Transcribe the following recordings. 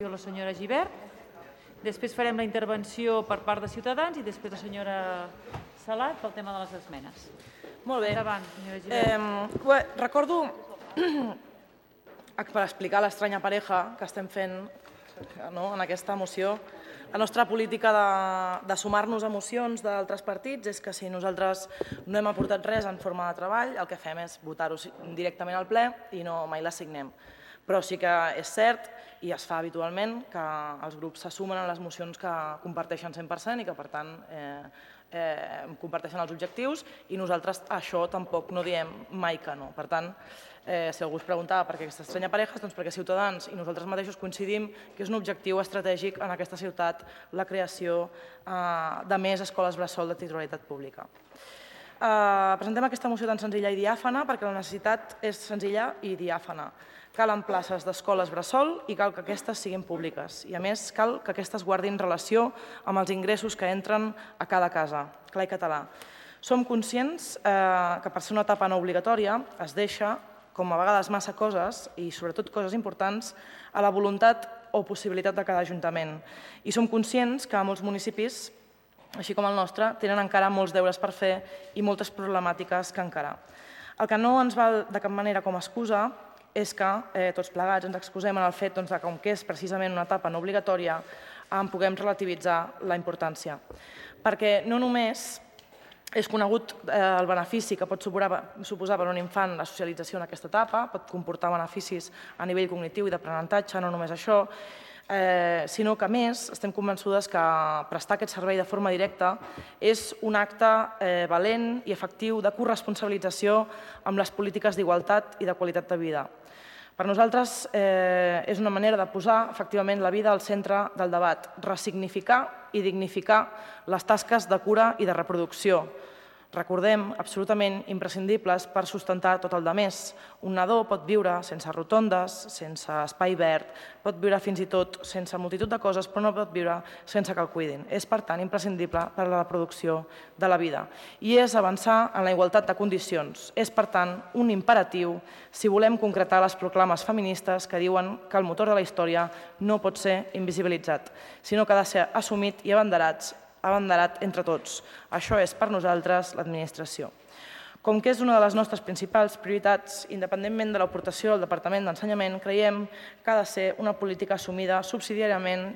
La senyora Gibert, després farem la intervenció per part de Ciutadans i després la senyora Salat pel tema de les esmenes. Molt bé. Endavant, senyora Gibert. Recordo, per explicar l'estranya pareja que estem fent en aquesta moció, la nostra política de sumar-nos a mocions d'altres partits és que si nosaltres no hem aportat res en forma de treball, el que fem és votar-ho directament al ple i no mai la signem. Però sí que és cert, i es fa habitualment, que els grups se sumen a les mocions que comparteixen 100% i que, per tant, comparteixen els objectius i nosaltres a això tampoc no diem mai que no. Per tant, si algú es preguntava per què aquesta estranya pareja, doncs perquè Ciutadans i nosaltres mateixos coincidim que és un objectiu estratègic en aquesta ciutat la creació de més escoles bressol de titularitat pública. Presentem aquesta moció tan senzilla i diàfana perquè la necessitat és senzilla i diàfana. Calen places d'escoles bressol i cal que aquestes siguin públiques. I a més cal que aquestes guardin relació amb els ingressos que entren a cada casa, clar i català. Som conscients que per ser una etapa no obligatòria es deixa, com a vegades massa coses, i sobretot coses importants, a la voluntat o possibilitat de cada ajuntament. I som conscients que molts municipis, així com el nostre, tenen encara molts deures per fer i moltes problemàtiques que encarar. El que no ens val de cap manera com a excusa és que tots plegats ens excusem en el fet que, com que és precisament una etapa no obligatòria, en puguem relativitzar la importància. Perquè no només és conegut el benefici que pot suposar per a un infant la socialització en aquesta etapa, pot comportar beneficis a nivell cognitiu i d'aprenentatge, no només això, sinó que, a més, estem convençudes que prestar aquest servei de forma directa és un acte valent i efectiu de corresponsabilització amb les polítiques d'igualtat i de qualitat de vida. Per nosaltres és una manera de posar efectivament la vida al centre del debat, ressignificar i dignificar les tasques de cura i de reproducció. Recordem, absolutament imprescindibles per sustentar tot el demés. Un nadó pot viure sense rotondes, sense espai verd, pot viure fins i tot sense multitud de coses, però no pot viure sense que el cuidin. És, per tant, imprescindible per a la reproducció de la vida. I és avançar en la igualtat de condicions. És, per tant, un imperatiu si volem concretar les proclames feministes que diuen que el motor de la història no pot ser invisibilitzat, sinó que ha de ser assumit i abanderat entre tots. Això és per nosaltres l'administració. Com que és una de les nostres principals prioritats, independentment de l'aportació del Departament d'Ensenyament, creiem que ha de ser una política assumida subsidiàriament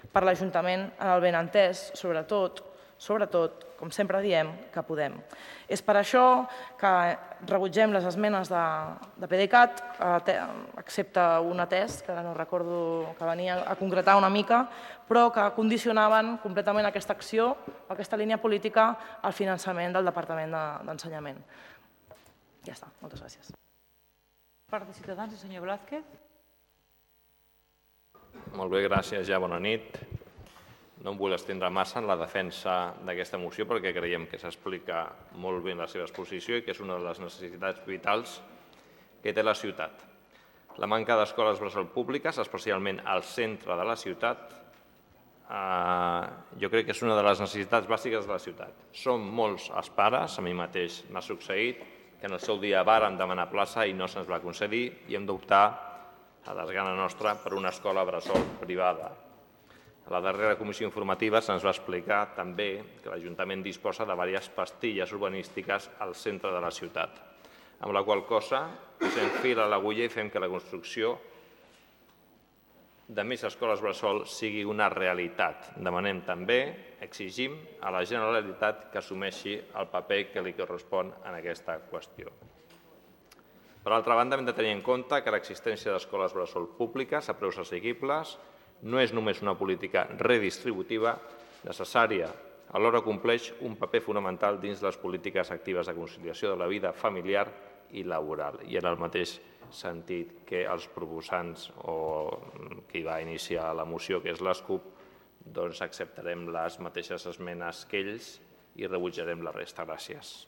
per l'Ajuntament en el benentès, sobretot, com sempre diem, que podem. És per això que rebutgem les esmenes de PDeCAT, excepte un atès, que ara no recordo, que venia a concretar una mica, però que condicionaven completament aquesta acció, aquesta línia política, al finançament del Departament d'Ensenyament. Ja està, moltes gràcies. Per part de Ciutadans, el senyor Blázquez. Molt bé, gràcies, ja bona nit. No em vull estendre massa en la defensa d'aquesta moció perquè creiem que s'explica molt bé la seva exposició i que és una de les necessitats vitals que té la ciutat. La manca d'escoles bressol públiques, especialment al centre de la ciutat, jo crec que és una de les necessitats bàsiques de la ciutat. Som molts els pares, a mi mateix m'ha succeït, que en el seu dia vàrem demanar plaça i no se'ns va concedir i hem d'optar, a desgana nostra, per una escola bressol privada. A la darrera comissió informativa se'ns va explicar també que l'Ajuntament disposa de diverses pastilles urbanístiques al centre de la ciutat, amb la qual cosa posem fil a l'agulla i fem que la construcció de més escoles bressol sigui una realitat. Demanem també, exigim a la Generalitat que assumeixi el paper que li correspon en aquesta qüestió. Per altra banda, hem de tenir en compte que l'existència d'escoles bressol públiques a preus assequibles no és només una política redistributiva necessària, alhora compleix un paper fonamental dins les polítiques actives de conciliació de la vida familiar i laboral. I en el mateix sentit que els proposants o qui va iniciar la moció, que és l'ASCUP, doncs acceptarem les mateixes esmenes que ells i rebutjarem la resta. Gràcies.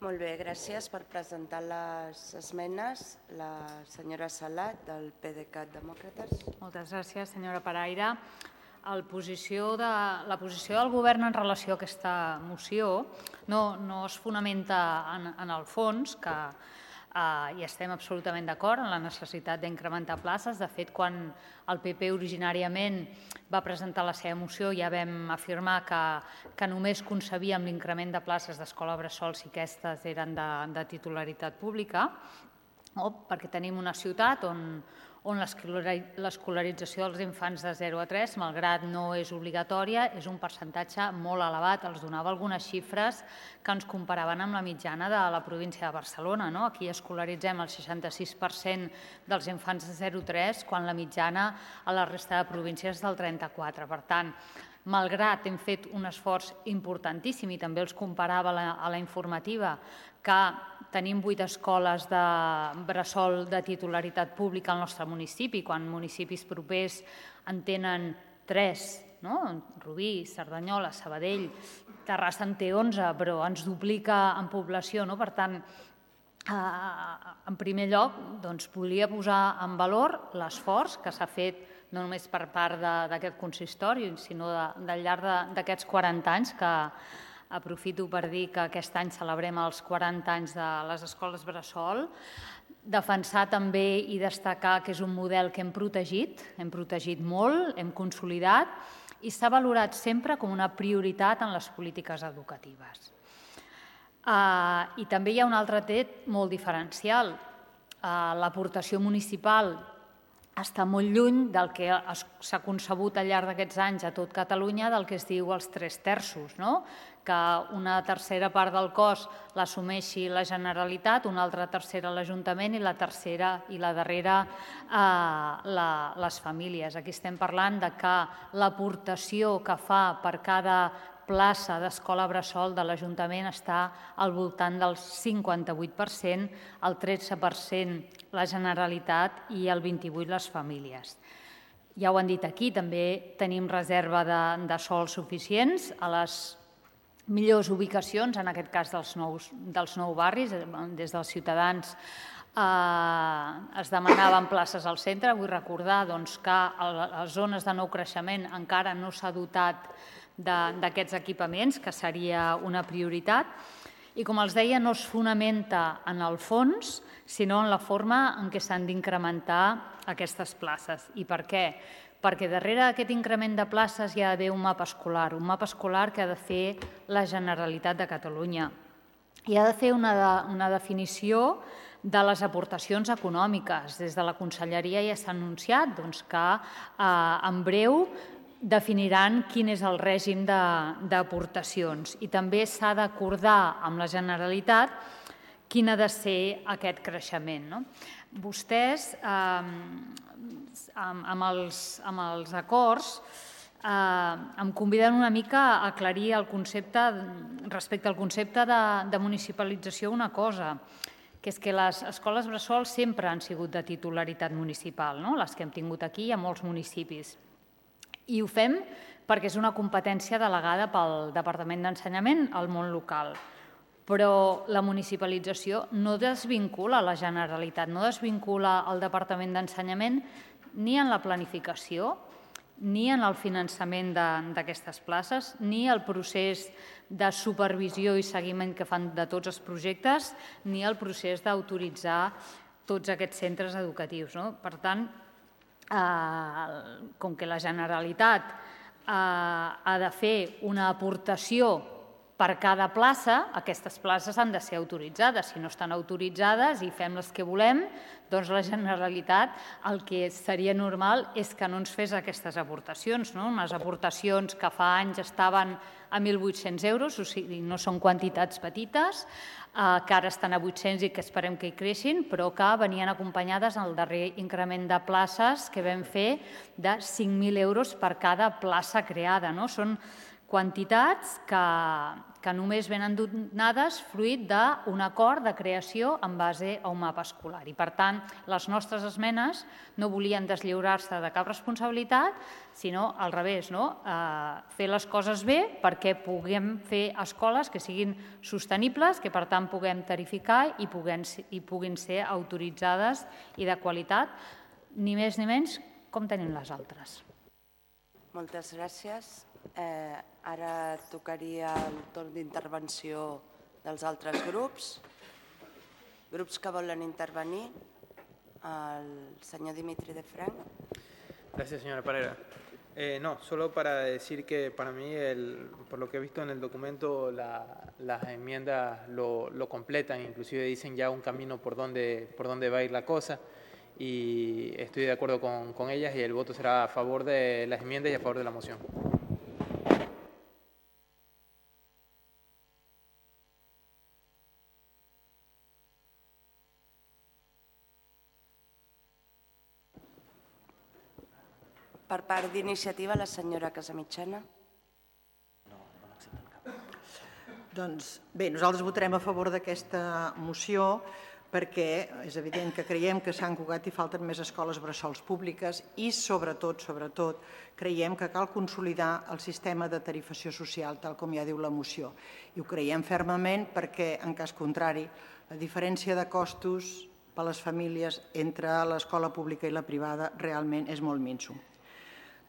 Molt bé, gràcies per presentar les esmenes. La senyora Salat, del PDeCAT Demòcrates. Moltes gràcies, senyora Paraire. La posició del Govern en relació a aquesta moció no es fonamenta en el fons, que i estem absolutament d'acord en la necessitat d'incrementar places. De fet, quan el PP originàriament va presentar la seva moció ja vam afirmar que només concebíem l'increment de places d'escola bressol si aquestes eren de titularitat pública, perquè tenim una ciutat on l'escolarització dels infants de 0 a 3, malgrat no és obligatòria, és un percentatge molt elevat. Els donava algunes xifres que ens comparaven amb la mitjana de la província de Barcelona. Aquí escolaritzem el 66% dels infants de 0 a 3, quan la mitjana a la resta de províncies és del 34%. Per tant, malgrat hem fet un esforç importantíssim, i també els comparava a la informativa, que tenim 8 escoles de bressol de titularitat pública al nostre municipi, quan municipis propers en tenen 3, Rubí, Cerdanyola, Sabadell, Terrassa en té 11, però ens duplica en població. Per tant, en primer lloc, volia posar en valor l'esforç que s'ha fet no només per part d'aquest consistori, sinó del llarg d'aquests 40 anys, que aprofito per dir que aquest any celebrem els 40 anys de les escoles bressol, defensar també i destacar que és un model que hem protegit molt, hem consolidat i s'ha valorat sempre com una prioritat en les polítiques educatives. I també hi ha un altre tret molt diferencial. L'aportació municipal està molt lluny del que s'ha concebut al llarg d'aquests anys a tot Catalunya, del que es diu els 3/3, que una tercera part del cost l'assumeixi la Generalitat, una altra tercera l'Ajuntament i la tercera i la darrera les famílies. Aquí estem parlant de que l'aportació que fa per cada plaça d'escola bressol de l'Ajuntament està al voltant del 58%, el 13% la Generalitat i el 28% les famílies. Ja ho han dit aquí, també tenim reserva de sòls suficients a les millors ubicacions, en aquest cas dels nous barris. Des dels Ciutadans es demanaven places al centre. Vull recordar que a les zones de nou creixement encara no s'ha dotat d'aquests equipaments, que seria una prioritat. I, com els deia, no es fonamenta en el fons, sinó en la forma en què s'han d'incrementar aquestes places. I per què? Perquè darrere d'aquest increment de places hi ha d'haver un mapa escolar que ha de fer la Generalitat de Catalunya. Hi ha de fer una definició de les aportacions econòmiques. Des de la Conselleria ja s'ha anunciat que en breu definiran quin és el règim d'aportacions i també s'ha d'acordar amb la Generalitat quin ha de ser aquest creixement. Vostès, amb els acords, em conviden una mica a aclarir el concepte, respecte al concepte de municipalització, una cosa, que és que les escoles bressol sempre han sigut de titularitat municipal, les que hem tingut aquí a molts municipis. I ho fem perquè és una competència delegada pel Departament d'Ensenyament al món local. Però la municipalització no desvincula la Generalitat, no desvincula el Departament d'Ensenyament ni en la planificació, ni en el finançament d'aquestes places, ni el procés de supervisió i seguiment que fan de tots els projectes, ni el procés d'autoritzar tots aquests centres educatius. Per tant, com que la Generalitat ha de fer una aportació per cada plaça, aquestes places han de ser autoritzades. Si no estan autoritzades i fem les que volem, doncs la Generalitat el que seria normal és que no ens fes aquestes aportacions. Unes aportacions que fa anys estaven a 1.800 euros, o sigui, no són quantitats petites, que ara estan a 800 i que esperem que hi creixin, però que venien acompanyades al darrer increment de places que vam fer de 5.000 euros per cada plaça creada. Són quantitats que només venen donades fruit d'un acord de creació en base a un mapa escolar. I, per tant, les nostres esmenes no volien deslliurar-se de cap responsabilitat, sinó al revés, fer les coses bé perquè puguem fer escoles que siguin sostenibles, que per tant puguem tarificar i puguin ser autoritzades i de qualitat, ni més ni menys com tenim les altres. Moltes gràcies. Ara tocaria el torn d'intervenció dels altres grups. Grups que volen intervenir. El senyor Dimitri de Frank. Gracias, señora Parera. No, solo para decir que para mí, por lo que he visto en el documento, las enmiendas lo completan, inclusive dicen ya un camino por donde va a ir la cosa, y estoy de acuerdo con ellas y el voto será a favor de las enmiendas y a favor de la moción. Per part d'iniciativa, la senyora Casamitjana. Doncs bé, nosaltres votarem a favor d'aquesta moció perquè és evident que creiem que a Sant Cugat hi falten més escoles bressols públiques i sobretot creiem que cal consolidar el sistema de tarifació social, tal com ja diu la moció. I ho creiem fermament perquè, en cas contrari, la diferència de costos per a les famílies entre l'escola pública i la privada realment és molt minso.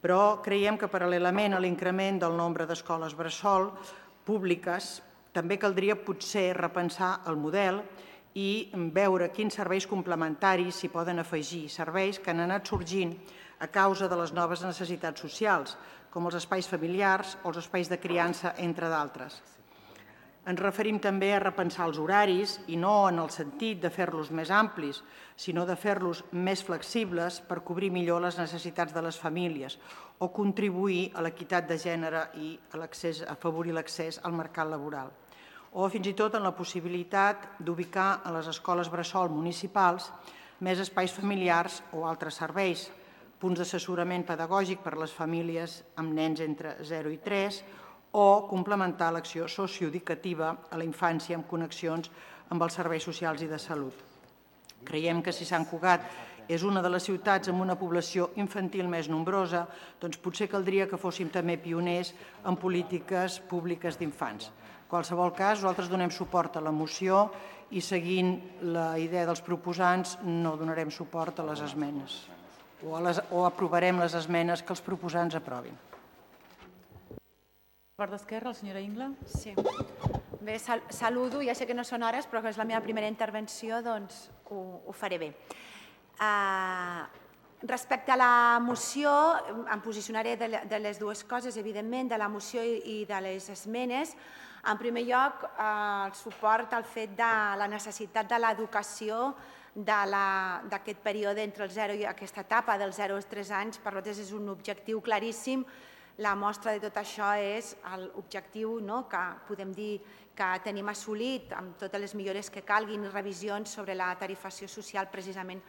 Però creiem que paral·lelament a l'increment del nombre d'escoles bressol públiques també caldria potser repensar el model i veure quins serveis complementaris s'hi poden afegir, serveis que han anat sorgint a causa de les noves necessitats socials, com els espais familiars o els espais de criança, entre d'altres. Ens referim també a repensar els horaris i no en el sentit de fer-los més amplis, sinó de fer-los més flexibles per cobrir millor les necessitats de les famílies o contribuir a l'equitat de gènere i a afavorir l'accés al mercat laboral. O fins i tot en la possibilitat d'ubicar a les escoles bressol municipals més espais familiars o altres serveis, punts d'assessorament pedagògic per a les famílies amb nens entre 0 i 3 o complementar l'acció socioeducativa a la infància amb connexions amb els serveis socials i de salut. Creiem que si Sant Cugat és una de les ciutats amb una població infantil més nombrosa, doncs potser caldria que fóssim també pioners en polítiques públiques d'infants. En qualsevol cas, nosaltres donem suport a la moció i seguint la idea dels proposants no donarem suport a les esmenes o aprovarem les esmenes que els proposants aprovin. Per part d'Esquerra, la senyora Ingla. Sí. Bé, saludo, ja sé que no són hores, però que és la meva primera intervenció, doncs ho faré bé. Respecte a la moció, em posicionaré de les dues coses, evidentment, de la moció i de les esmenes. En primer lloc, el suport al fet de la necessitat de l'educació d'aquest període entre el 0 i aquesta etapa del 0 als 3 anys. Per nosaltres és un objectiu claríssim. La mostra de tot això és l'objectiu que podem dir que tenim assolit amb totes les millores que calguin i revisions sobre la tarifació social precisament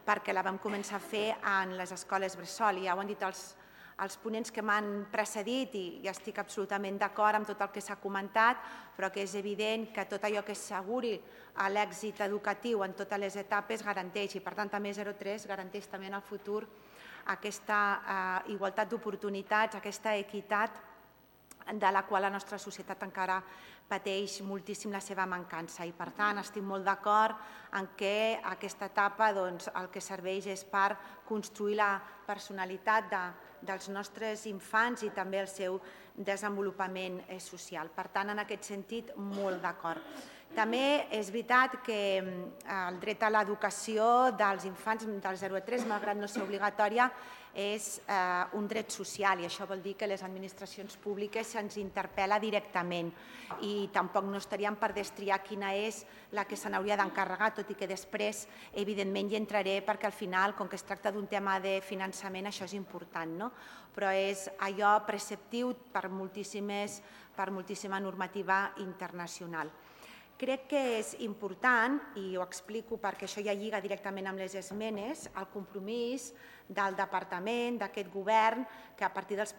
perquè la vam començar a fer en les escoles bressol. Ja ho han dit els ponents que m'han precedit i estic absolutament d'acord amb tot el que s'ha comentat, però que és evident que tot allò que asseguri l'èxit educatiu en totes les etapes garanteix, i per tant també 0-3 garanteix també en el futur aquesta igualtat d'oportunitats, aquesta equitat de la qual la nostra societat encara pateix moltíssim la seva mancança. I per tant estic molt d'acord en que aquesta etapa el que serveix és per construir la personalitat dels nostres infants i també el seu desenvolupament social. Per tant, en aquest sentit, molt d'acord. També és veritat que el dret a l'educació dels infants del 0 a 3, malgrat no ser obligatòria, és un dret social i això vol dir que les administracions públiques se'ns interpel·la directament i tampoc no estaríem per destriar quina és la que se n'hauria d'encarregar, tot i que després, evidentment, hi entraré perquè al final, com que es tracta d'un tema de finançament, això és important, no? Però és allò preceptiu per moltíssima normativa internacional. Crec que és important, i ho explico perquè això ja lliga directament amb les esmenes, el compromís del departament, d'aquest govern, que a partir dels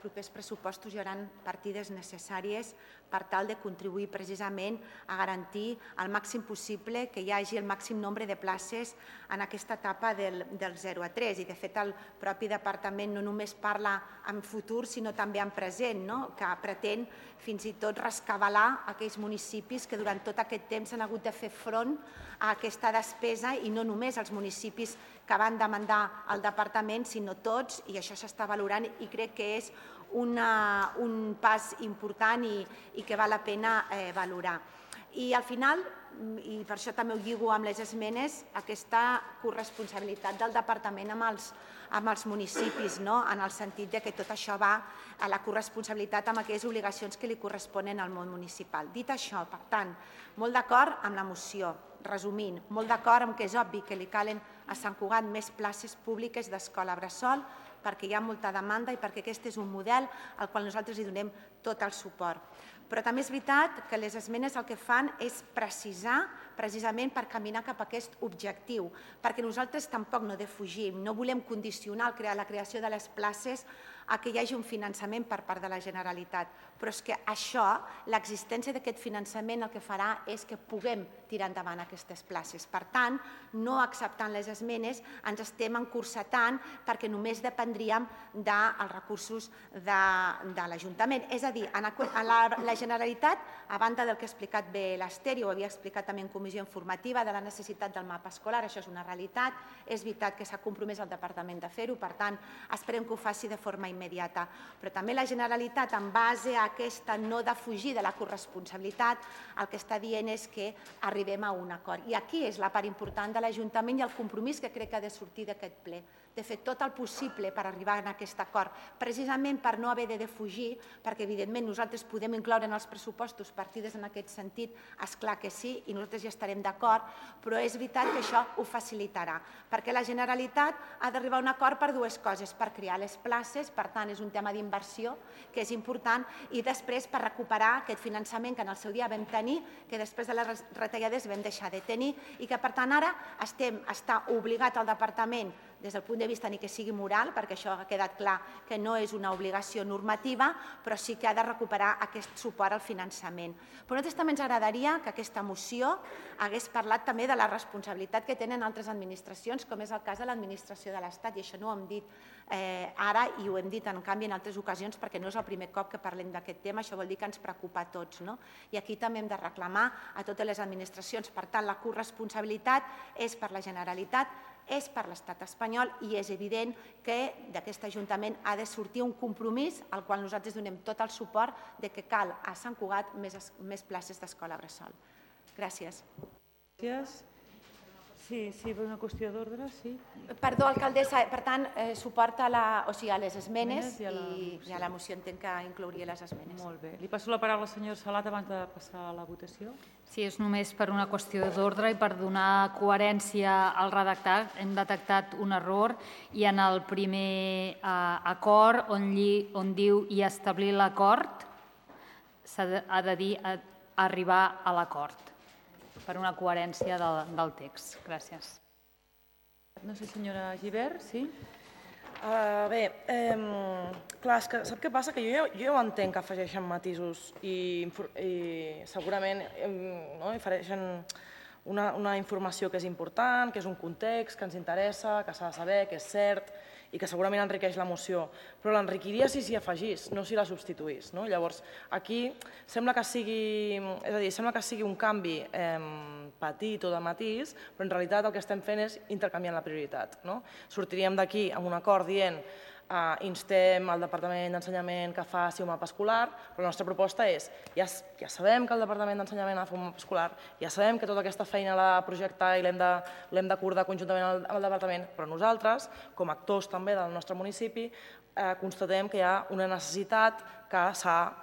propers pressupostos hi haurà partides necessàries per tal de contribuir precisament a garantir al màxim possible que hi hagi el màxim nombre de places en aquesta etapa del 0 a 3. I de fet el propi departament no només parla en futur sinó també en present, que pretén fins i tot rescabalar aquells municipis que durant tot aquest temps han hagut de fer front a aquesta despesa i no només els municipis que van demandar al departament, sinó tots, i això s'està valorant i crec que és un pas important i que val la pena valorar. I al final, i per això també ho lligo amb les esmenes, aquesta corresponsabilitat del departament amb els municipis, en el sentit que tot això va a la corresponsabilitat amb aquelles obligacions que li corresponen al món municipal. Dit això, per tant, molt d'acord amb la moció, resumint, molt d'acord amb que és obvi que li calen a Sant Cugat més places públiques d'escola bressol perquè hi ha molta demanda i perquè aquest és un model al qual nosaltres hi donem tot el suport. Però també és veritat que les esmenes el que fan és precisar precisament per caminar cap a aquest objectiu, perquè nosaltres tampoc no defugim, no volem condicionar la creació de les places a que hi hagi un finançament per part de la Generalitat, però és que això, l'existència d'aquest finançament el que farà és que puguem tirar endavant aquestes places. Per tant, no acceptant les esmenes ens estem encursetant perquè només dependríem dels recursos de l'Ajuntament. És a dir, la Generalitat, a banda del que ha explicat bé l'Ester, i ho havia explicat també en comissió informativa, de la necessitat del mapa escolar, això és una realitat, és veritat que s'ha compromès el Departament de fer-ho, per tant, esperem que ho faci de forma immediata. Però també la Generalitat, en base a aquesta no defugir de la corresponsabilitat, el que està dient és que arribem a un acord. I aquí és la part important de l'Ajuntament i el compromís que crec que ha de sortir d'aquest ple, de fer tot el possible per arribar a aquest acord, precisament per no haver de defugir, perquè evidentment nosaltres podem incloure en els pressupostos partides en aquest sentit, esclar que sí, i nosaltres ja estarem d'acord, però és veritat que això ho facilitarà, perquè la Generalitat ha d'arribar a un acord per dues coses, per crear les places, per tant és un tema d'inversió que és important, i després per recuperar aquest finançament que en el seu dia vam tenir, que després de les retallades vam deixar de tenir, i que per tant ara està obligat el Departament des del punt de vista ni que sigui moral, perquè això ha quedat clar que no és una obligació normativa, però sí que ha de recuperar aquest suport al finançament. Però a nosaltres també ens agradaria que aquesta moció hagués parlat també de la responsabilitat que tenen altres administracions, com és el cas de l'administració de l'Estat, i això no ho hem dit ara i ho hem dit en canvi en altres ocasions perquè no és el primer cop que parlem d'aquest tema, això vol dir que ens preocupa a tots. I aquí també hem de reclamar a totes les administracions. Per tant, la corresponsabilitat és per la Generalitat, és per l'Estat espanyol i és evident que d'aquest Ajuntament ha de sortir un compromís al qual nosaltres donem tot el suport de que cal a Sant Cugat més places d'escola bressol. Gràcies. Gràcies. Sí, per una qüestió d'ordre, sí. Perdó, alcaldessa, per tant, suport a les esmenes i a la moció entenc que inclouria les esmenes. Molt bé. Li passo la paraula al senyor Salat abans de passar a la votació. Sí, és només per una qüestió d'ordre i per donar coherència al redactat. Hem detectat un error i en el primer acord on diu i establir l'acord ha de dir arribar a l'acord, per una coherència del text. Gràcies. No sé, senyora Gibert, sí? Bé, clar, és que sap què passa? Que jo ja ho entenc que afegeixen matisos i segurament ofereixen una informació que és important, que és un context, que ens interessa, que s'ha de saber, que és cert i que segurament enriqueix la moció, però l'enriquiria si s'hi afegís, no si la substituís. Llavors, aquí sembla que sigui un canvi petit o de matís, però en realitat el que estem fent és intercanviant la prioritat. Sortiríem d'aquí amb un acord dient instem al Departament d'Ensenyament que faci un mapa escolar, però la nostra proposta és, ja sabem que el Departament d'Ensenyament ha de fer un mapa escolar, ja sabem que tota aquesta feina l'ha de projectar i l'hem d'acordar conjuntament amb el Departament, però nosaltres, com a actors també del nostre municipi, constatem que hi ha una necessitat que s'ha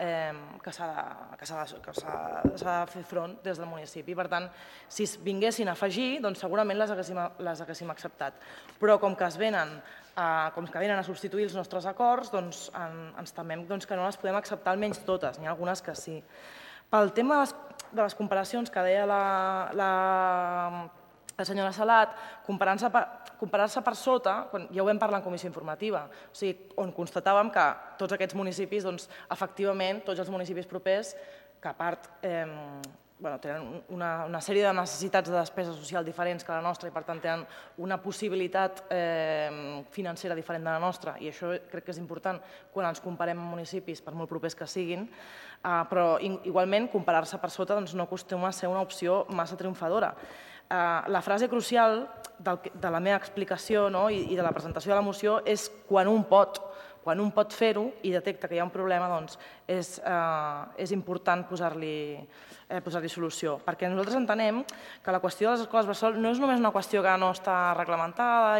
de fer front des del municipi. Per tant, si es vinguessin a afegir, doncs segurament les haguéssim acceptat. Però com que venen a substituir els nostres acords, doncs ens temem que no les podem acceptar almenys totes, n'hi ha algunes que sí. Pel tema de les comparacions que deia la senyora Salat, comparar-se per sota, ja ho vam parlar en comissió informativa, on constatàvem que tots aquests municipis, efectivament, tots els municipis propers, que a part tenen una sèrie de necessitats de despesa social diferents que la nostra i per tant tenen una possibilitat financera diferent de la nostra i això crec que és important quan ens comparem amb municipis per molt propers que siguin, però igualment comparar-se per sota no acostuma a ser una opció massa triomfadora. La frase crucial de la meva explicació i de la presentació de la moció és quan un pot, quan un pot fer-ho i detecta que hi ha un problema, doncs és important posar-li solució. Perquè nosaltres entenem que la qüestió de les escoles bressol no és només una qüestió que no està reglamentada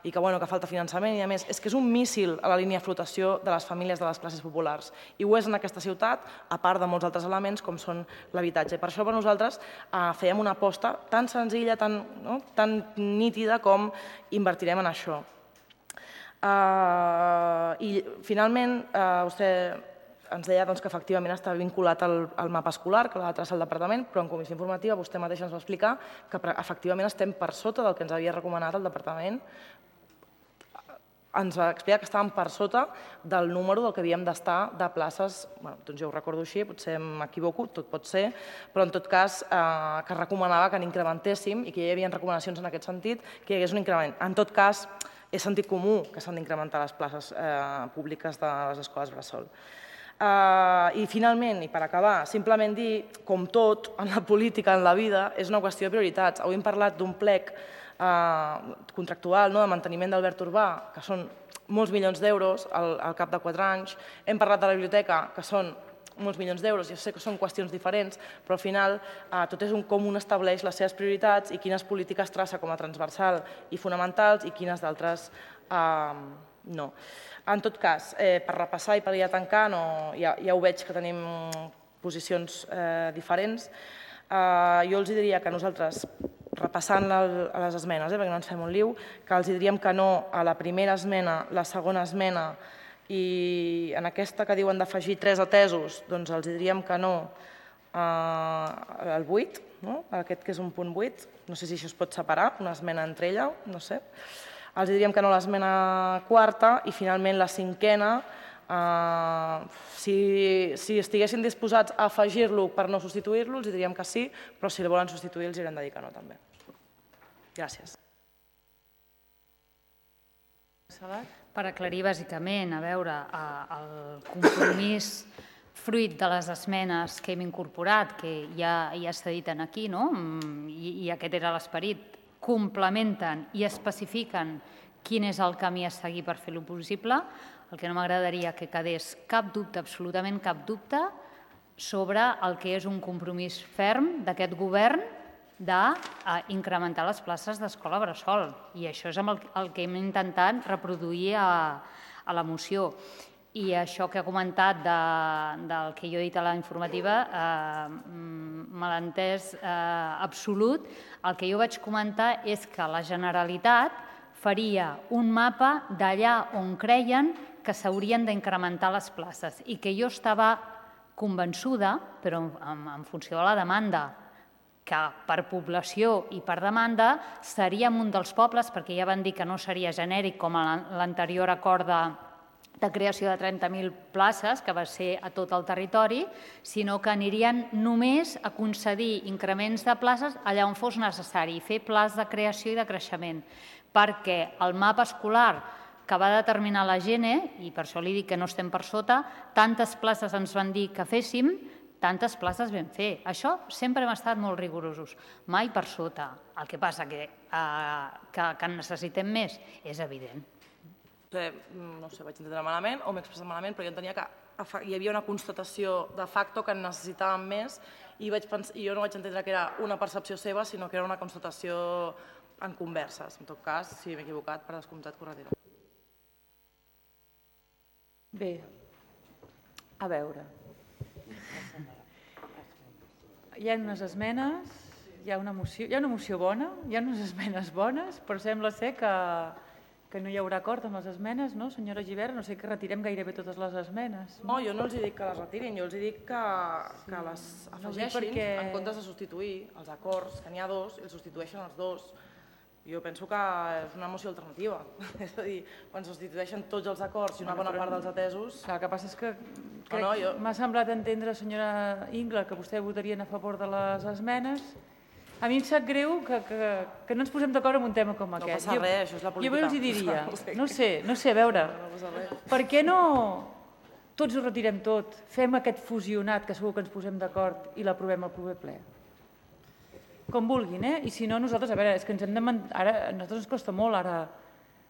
i que falta finançament i a més, és que és un míssil a la línia de flotació de les famílies de les classes populars. I ho és en aquesta ciutat, a part de molts altres elements com són l'habitatge. Per això per nosaltres fèiem una aposta tan senzilla, tan nítida com invertirem en això. I finalment vostè ens deia que efectivament està vinculat al mapa escolar, que l'ha de traçar el departament, però en comissió informativa vostè mateix ens va explicar que efectivament estem per sota del que ens havia recomanat el departament. Ens va explicar que estàvem per sota del número del que havíem d'estar de places, doncs jo ho recordo així, potser m'equivoco, tot pot ser, però en tot cas que recomanava que n'incrementéssim i que hi havia recomanacions en aquest sentit, que hi hagués un increment. En tot cas, és sentit comú que s'han d'incrementar les places públiques de les escoles bressol. I finalment, i per acabar, simplement dir, com tot en la política, en la vida, és una qüestió de prioritats. Avui hem parlat d'un plec contractual de manteniment d'Albert Urbà, que són molts milions d'euros al cap de 4 anys. Hem parlat de la biblioteca, que són molts milions d'euros. Jo sé que són qüestions diferents, però al final tot és com un estableix les seves prioritats i quines polítiques traça com a transversal i fonamentals i quines d'altres no. En tot cas, per repassar i per ja tancar, ja ho veig que tenim posicions diferents, jo els diria que nosaltres, repassant les esmenes, perquè no ens fem un liu, que els diríem que no a la primera esmena, la segona esmena i en aquesta que diuen d'afegir 3 atesos, doncs els diríem que no al 8, aquest que és un punt 8, no sé si això es pot separar, una esmena entre ella, no sé. Els diríem que no a l'esmena quarta i finalment la cinquena, si estiguessin disposats a afegir-lo per no substituir-lo, els diríem que sí, però si el volen substituir els haurem de dir que no també. Gràcies. Per aclarir bàsicament, a veure, el compromís fruit de les esmenes que hem incorporat, que ja s'ha dit aquí, i aquest era l'esperit, complementen i especifiquen quin és el camí a seguir per fer-lo possible. El que no m'agradaria que quedés cap dubte, absolutament cap dubte, sobre el que és un compromís ferm d'aquest govern d'incrementar les places d'escola bressol. I això és el que hem intentat reproduir a la moció. I això que ha comentat del que jo he dit a la informativa, me l'ha entès absolut. El que jo vaig comentar és que la Generalitat faria un mapa d'allà on creien que s'haurien d'incrementar les places i que jo estava convençuda, però en funció de la demanda, que per població i per demanda seríem un dels pobles, perquè ja van dir que no seria genèric com l'anterior acord de creació de 30.000 places, que va ser a tot el territori, sinó que anirien només a concedir increments de places allà on fos necessari, fer plans de creació i de creixement, perquè el mapa escolar que va determinar la GENE, i per això li dic que no estem per sota, tantes places ens van dir que féssim, tantes places vam fer. Això sempre hem estat molt rigorosos, mai per sota. El que passa que en necessitem més és evident. No sé, vaig entendre malament o m'he expressat malament, però jo entenia que hi havia una constatació de facto que en necessitàvem més i jo no vaig entendre que era una percepció seva, sinó que era una constatació en converses. En tot cas, si m'he equivocat, per descomptat, corregiré. Bé, a veure. Hi ha unes esmenes, hi ha una moció bona, hi ha unes esmenes bones, però sembla ser que no hi haurà acord amb les esmenes, no, senyora Gibert? No sé, que retirem gairebé totes les esmenes. No, jo no els dic que les retirin, jo els dic que les afegeixin en comptes de substituir els acords, que n'hi ha 2, i els substitueixen els 2. Jo penso que és una moció alternativa. És a dir, quan substitueixen tots els acords i una bona part dels atesos... El que passa és que m'ha semblat entendre, senyora Ingla, que vostè votarien a favor de les esmenes. A mi em sap greu que no ens posem d'acord en un tema com aquest. No passa res, això és la política. Jo els diria, no sé, a veure, per què no tots ho retirem tot, fem aquest fusionat, que segur que ens posem d'acord, i l'aprovem al proper ple? Com vulguin, I si no, nosaltres, a veure, és que ens hem de... Ara, a nosaltres ens costa molt ara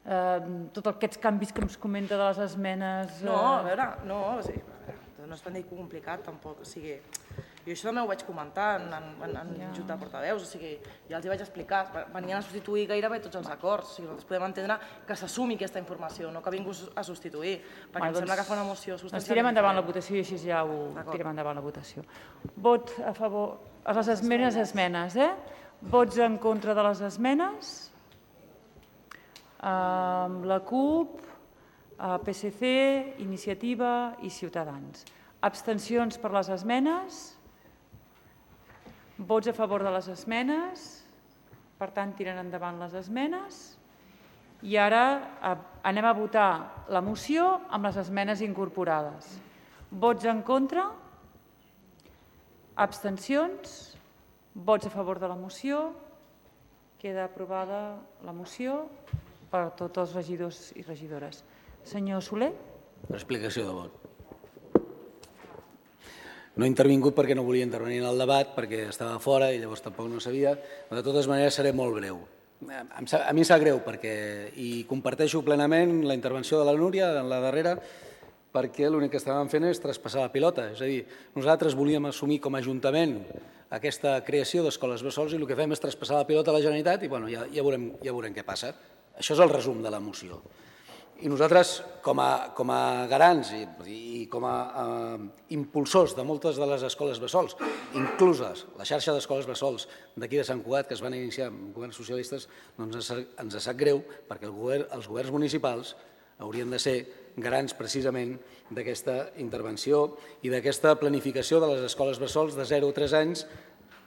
tots aquests canvis que ens comenta de les esmenes... No, a veure, no és tan complicat tampoc, o sigui, jo això també ho vaig comentar en junta de portaveus, o sigui, ja els hi vaig explicar, venien a substituir gairebé tots els acords, o sigui, nosaltres podem entendre que s'assumi aquesta informació, no que vingués a substituir, perquè em sembla que fa una moció substancialment... Doncs tirem endavant la votació i així ja ho tirem endavant la votació. Vot a favor, a les esmenes, Vots en contra de les esmenes? La CUP, PSC, Iniciativa i Ciutadans. Abstencions per les esmenes? Vots a favor de les esmenes? Per tant, tiren endavant les esmenes. I ara anem a votar la moció amb les esmenes incorporades. Vots en contra? Abstencions? Vots a favor de la moció? Queda aprovada la moció per tots els regidors i regidores. Senyor Soler? Per explicació de vot. No he intervingut perquè no volia intervenir en el debat, perquè estava fora i llavors tampoc no sabia. De totes maneres, seré molt breu. A mi em sap greu i comparteixo plenament la intervenció de la Núria en la darrera, perquè l'únic que estàvem fent és traspassar la pilota. És a dir, nosaltres volíem assumir com a Ajuntament aquesta creació d'escoles bressol i el que fem és traspassar la pilota a la Generalitat i ja veurem què passa. Això és el resum de la moció. I nosaltres, com a garants i com a impulsors de moltes de les escoles bressols, incluses la xarxa d'escoles bressols d'aquí de Sant Cugat, que es van iniciar amb governs socialistes, doncs ens sap greu perquè els governs municipals haurien de ser garants precisament d'aquesta intervenció i d'aquesta planificació de les escoles bressols de 0 a 3 anys,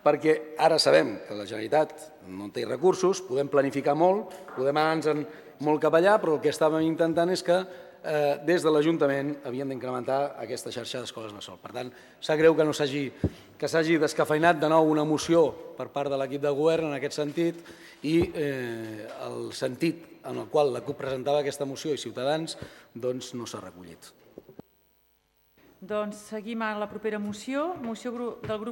perquè ara sabem que la Generalitat no té recursos, podem planificar molt, podem anar-nos molt cap allà, però el que estàvem intentant és que des de l'Ajuntament havien d'incrementar aquesta xarxa d'escoles bressol. Per tant, sap greu que s'hagi descafeinat de nou una moció per part de l'equip de govern en aquest sentit i el sentit en el qual la CUP presentava aquesta moció i Ciutadans doncs no s'ha recollit. Doncs seguim a la propera moció del grup